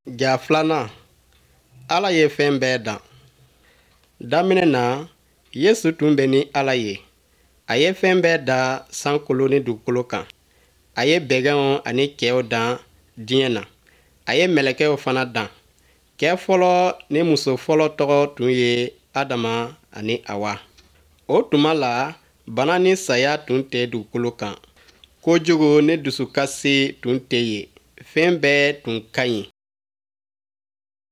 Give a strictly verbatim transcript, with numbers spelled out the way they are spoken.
Ja filanan, Ala ye fɛn bɛɛ dan. Daminɛ na, Yesu tun bɛ ni Ala ye. A ye fɛn bɛɛ da sankolo ni dugukolo kan. A ye bɛgɛnw ani cɛw dan diɲɛ na. A ye mɛlɛkɛw fana dan. Cɛ fɔlɔ ni muso fɔlɔ tɔgɔ tun ye Adama ani Awa. O tuma la, bana ni saya tun tɛ dugukolo kan. Kojugu ni dusukasi tun tɛ yen. Fɛn bɛɛ tun ka ɲi.